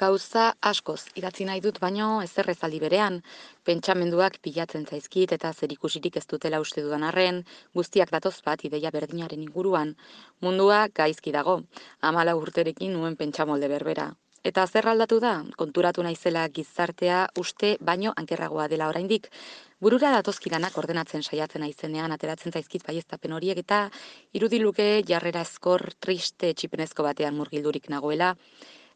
Gauza askoz idatzi nahi dut, baino ezer ez aldi berean, pentsamenduak pilatzen zaizkit eta zerikusirik ez dutela uste dudan arren, guztiak datoz bat ideia berdinaren inguruan. Mundua gaizki dago, 14 urterekin nuen pentsamolde berbera. Eta zer aldatu da? Konturatu naizela gizartea uste baino ankerragoa dela oraindik. Burura datozkidanak ordenatzen saiatzen naizenean ateratzen zaizkit baieztapen horiek eta irudiluke jarrera ezkor triste txipenezko batean murgildurik nagoela.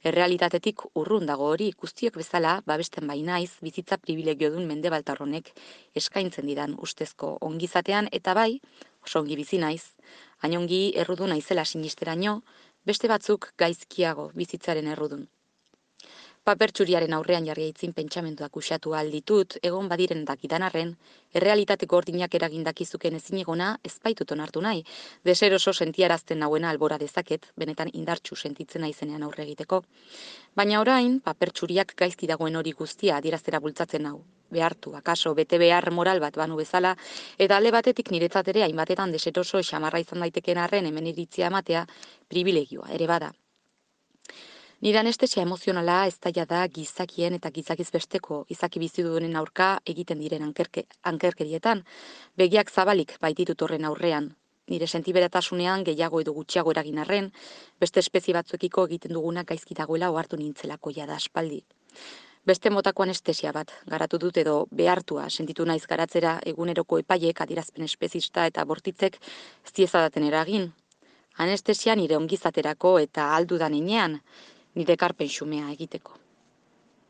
Errealitatetik urrun dago hori, guztiok bezala, babesten bai naiz, bizitza pribilegiodun mendebaltar honek eskaintzen didan ustezko ongizatean, eta bai, oso ongi bizi naiz, hain ongi errudun naizela sinisteraino, beste batzuk gaizkiago bizitzaren errudun. Paper txuriaren aurrean jarri aitzin pentsamenduak usatu alditut, egon badiren dakidan arren, errealitate gordinak eragindakizuken ezinegona ezpaitut onartu nahi, deseroso sentiarazten nauena albora dezaket, benetan indartsu sentitzen naizenean aurre egiteko. Baina orain, paper txuriak gaizki dagoen hori guztia adieraztera bultzatzen nau. Behartu, akaso, bete behar moral bat banu bezala, eta alde batetik niretzat ere hainbatetan deseroso xamarra izan daiteken arren hemen iritzia ematea privilegioa ere bada. Nire anestesia emozionala ez da gizakien eta gizakiz besteko izaki bizidunen aurka egiten diren ankerkerietan, begiak zabalik baititut horren aurrean. Nire sentiberatasunean gehiago edo gutxiago eragin arren, beste espezie batzuekiko egiten duguna gaizki dagoela ohartu nintzelako jada aspaldi. Beste motako anestesia bat garatu dut edo behartua sentitu naiz garatzera eguneroko epaiek adierazpen espezista eta bortitzek ez diezadaten eragin. Anestesia nire ongizaterako eta aldudan inean, nire ekarpen xumea egiteko.